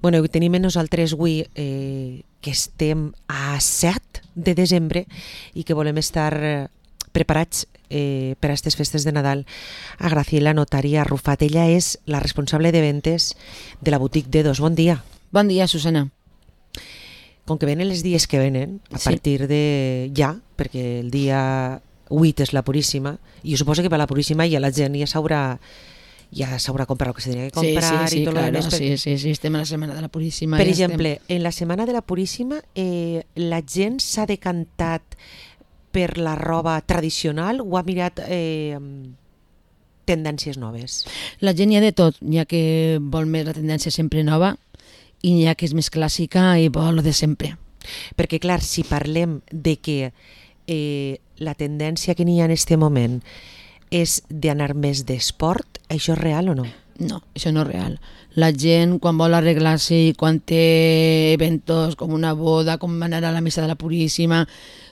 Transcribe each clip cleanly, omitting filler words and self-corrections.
Bueno, i tenim nosaltres avui que estem a 7 de desembre i que volem estar preparats per a aquestes festes de Nadal. A Graciela Notari Arrufat, ella és la responsable de ventes de la botiga Dedos. Bon dia. Bon dia, Susana. Com que venen els dies que venen, a partir de ja, perquè el dia 8 és la Puríssima, i jo suposo que per la Puríssima ja la gent ja s'haurà comprat el que s'hauria de comprar sí, i tot claro, el més. Sí, estem a la setmana de la Puríssima. Per exemple, en la setmana de la Puríssima la gent s'ha decantat per la roba tradicional o ha mirat tendències noves? La gent hi ha de tot, hi ha que vol més la tendència sempre nova i hi ha que és més clàssica i vol de sempre. Perquè clar, si parlem de que la tendència que n'hi ha en aquest moment és d'anar més d'esport, això és real o no? No, això no és real. La gent, quan vol arreglar-se i quan té eventos com una boda, com anar a la missa de la Puríssima,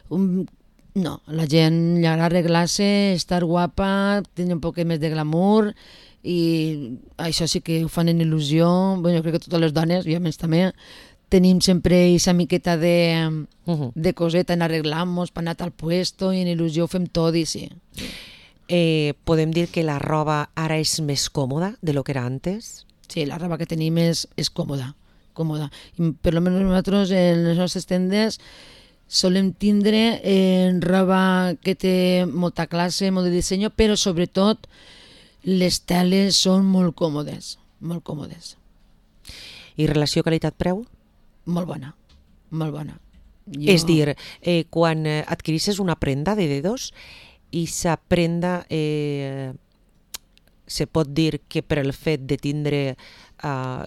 no, la gent li agrada arreglar-se, estar guapa, tenir un poc més de glamour, i això sí que ho fan en il·lusió. Bueno, jo crec que totes les dones, i a més també, tenim sempre aquesta miqueta de coseta en arreglar-nos per anar al puesto i en il·lusió ho fem tot i sí. Podem dir que la roba ara és més còmoda de lo que era antes? Sí, la roba que tenim és còmoda. I per almenys nosaltres en les nostres tendes solem tindre roba que té molta classe, molt de disseny, però sobretot les teles són molt còmodes, molt còmodes. I relació qualitat-preu? Molt bona, molt bona. És dir, quan adquirisses una prenda de Dedos, i sa prenda se pot dir que per el fet de tindre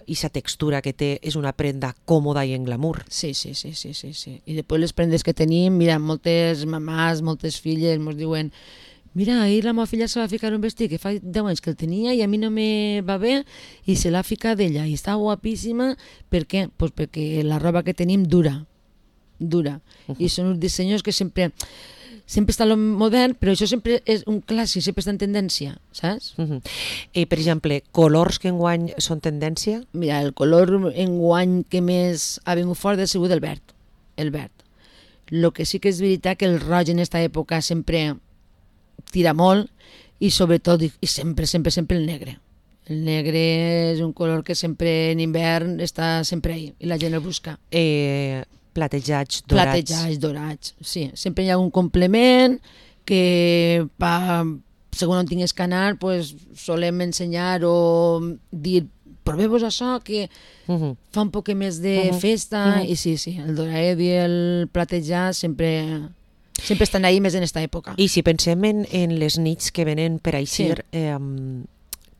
i sa textura que té és una prenda còmoda i en glamour. Sí. I després les prendes que tenim, mira, moltes mamàs, moltes filles ens diuen: mira, ahir la meva filla se va ficar un vestit que fa 10 anys que el tenia i a mi no me va bé i se l'ha ficat d'ella i està guapíssima. Per què? Pues perquè la roba que tenim dura. I són uns dissenys que sempre està lo modern, però això sempre és un clàssic, sempre està en tendència, saps? Per exemple, colors que enguany són tendència? Mira, el color enguany que més ha vingut fort ha sigut el verd. El que sí que és veritat que el roig en aquesta època sempre tira molt i sobretot, i sempre el negre. El negre és un color que sempre en hivern està sempre ahí i la gent el busca. Platejats dorats, sí. Sempre hi ha un complement que segons on tingués que anar pues, solem ensenyar o dir proveu-vos això que fa un poc més de festa i sí, el dorat i el platejat sempre estan ahí més en aquesta època. I si pensem en les nits que venen per aixir,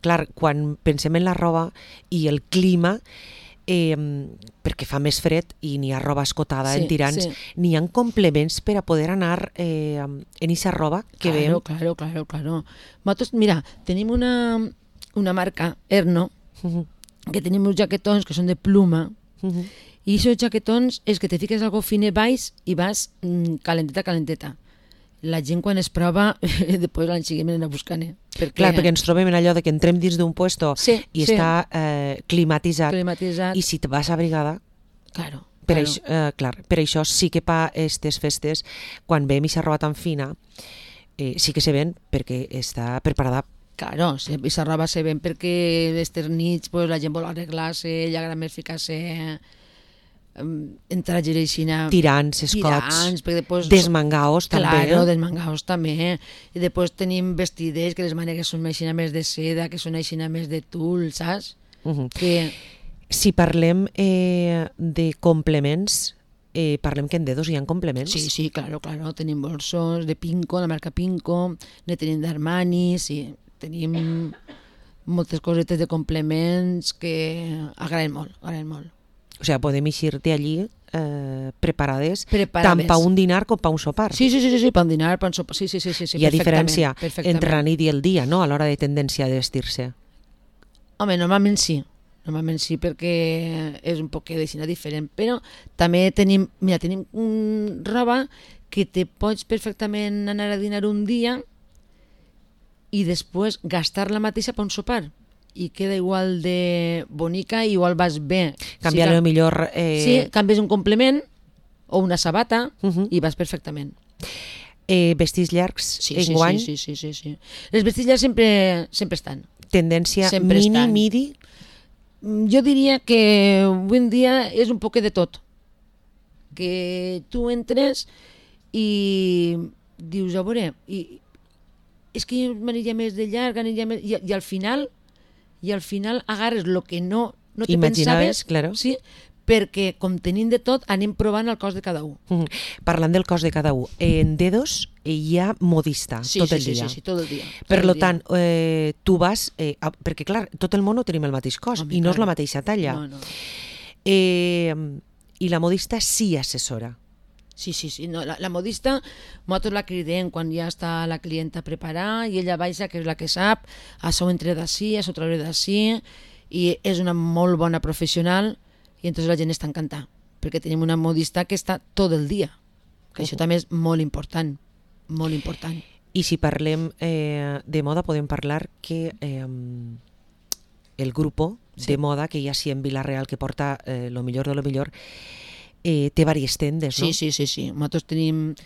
clar, quan pensem en la roba i el clima, perquè fa més fred i n'hi ha roba escotada en tirants, n'hi ha complements per a poder anar en aquesta roba que veiem. Claro. Nosaltres, mira, tenim una marca, Erno, que tenim uns jaquetons que són de pluma, i aquests jaquetons és que te fiques algo fine baix i vas calenteta. La gent quan es prova, després l'any seguint venen a buscar. Clar, perquè ens trobem en allò de que entrem dins d'un puesto i està climatitzat, i si te vas abrigada, per això sí que per aquestes festes, quan veiem aquesta roba tan fina, sí que se ven perquè està preparada. Claro, aquesta roba se ven perquè aquestes nits la gent vol arreglar-se, li agrada més ficar-se entrar gireixina, tirants, escots, desmangaos també. Claro, desmangaos també. I després tenim vestiders que les mànegues són aixina més de seda, que són aixina més de tul, saps? Si parlem de complements, parlem que en Dedos hi ha complements? Sí, claro. Tenim bolsos de Pinco, la marca Pinco, ne tenim d'Armani, sí. Tenim moltes cosetes de complements que agraden molt. O sigui, podem eixir d'allí preparades tant per un dinar com per un sopar. Sí, per un dinar, per un sopar, sí. Hi ha diferència entre la nit i el dia, no?, a l'hora de tendència de vestir-se. Home, normalment sí, perquè és un poc diferent, però també tenim roba que te pots perfectament anar a dinar un dia i després gastar la mateixa per un sopar. i queda igual de bonica i igual vas bé. Canviar-li millor... Sí, canvies un complement o una sabata i vas perfectament. Vestits llargs enguany? Sí. Les vestits llargs sempre estan. Tendència Sempre mini, estan. midi? Jo diria que avui en dia és un poc de tot. Que tu entres i dius, a veure, és que jo m'aniria més de llarg, i al final agarres el que no te Imaginaves, pensaves, claro. sí, perquè com tenim de tot anem provant el cos de cada un. Parlant del cos de cada un, en Dedos hi ha modista tot el dia. Sí, tot el dia. Per tant, tu vas... perquè, clar, tot el món no tenim el mateix cos i no és la mateixa talla. No. I la modista sí assessora. Sí. No, la modista, nosaltres la cridem quan ja està la clienta preparada i ella baixa, que és la que sap, això ho entre d'ací, això ho trauré d'ací, i és una molt bona professional i entonces la gent està encantada, perquè tenim una modista que està tot el dia, que això també és molt important, molt important. I si parlem de moda, podem parlar que el grupo de moda que hi ha sí en Vila-real, que porta lo millor de lo millor, té diverses tendes, no? Sí. Nosaltres tenim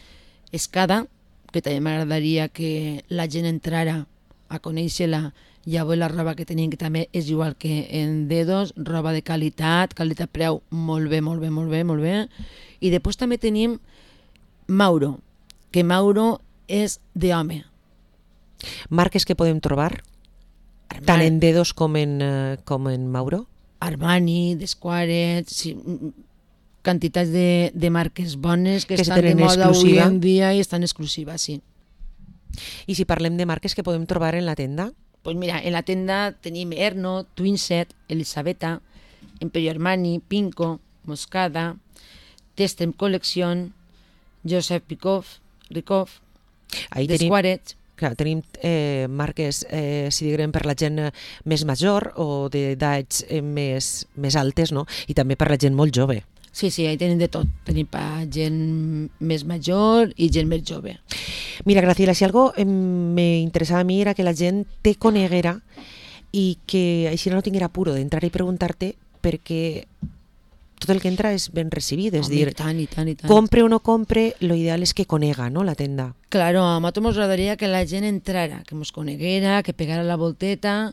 Escada, que també m'agradaria que la gent entrara a conèixer-la i a veure la roba que tenim, que també és igual que en Dedos, roba de qualitat-preu molt bé. I després també tenim Mauro, que Mauro és d'home. Marques que podem trobar, tant en Dedos com en Mauro? Armani, Desquaret, sí, quantitats de marques bones que estan de moda avui en dia i estan exclusives, sí. I si parlem de marques que podem trobar en la tenda? Pues mira, en la tenda tenim Erno, Twinset, Elisabetta, Imperio Armani, Pinco, Moscada, Testem Collection, Joseph Rikoff, Desquaret. Clar, tenim marques, si diguem, per la gent més major o d'edats més altes, no? I també per la gent molt jove. Sí, ahí tenim de tot. Tenim per gent més major i gent més jove. Mira, Graciela, si algo me interessava a mi era que la gent te coneguera i que així no tinguera apuro d'entrar i preguntar-te, perquè tot el que entra és ben recibit, és dir, i tant. compre o no compre, lo ideal és que conega, no, la tenda. Claro, a nosaltres ens agradaria que la gent entrara, que ens coneguera, que pegara la volteta,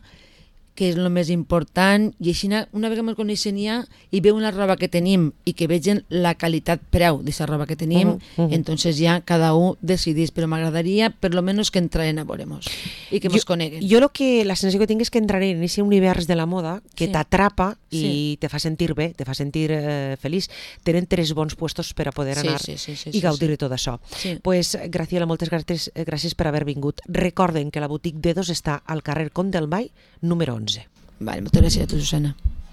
que és el més important, i així una vegada ens coneixen ja i veuen la roba que tenim i que vegen la qualitat-preu d'aquesta roba que tenim, entonces ja cada un decidís, però m'agradaria per lo menos que entraren a veure-nos i que ens coneguen. Jo la sensació que tinc és que entraré en aquest univers de la moda que t'atrapa i te fa sentir bé, te fa sentir feliç. Tenen 3 bons puestos per a poder anar i gaudir de tot això. Pues, Graciela, moltes gràcies per haver vingut. Recorden que la botiga Dedos està al carrer Comte del Mai, número 11. Vale, moltes gràcies a tu, Susana.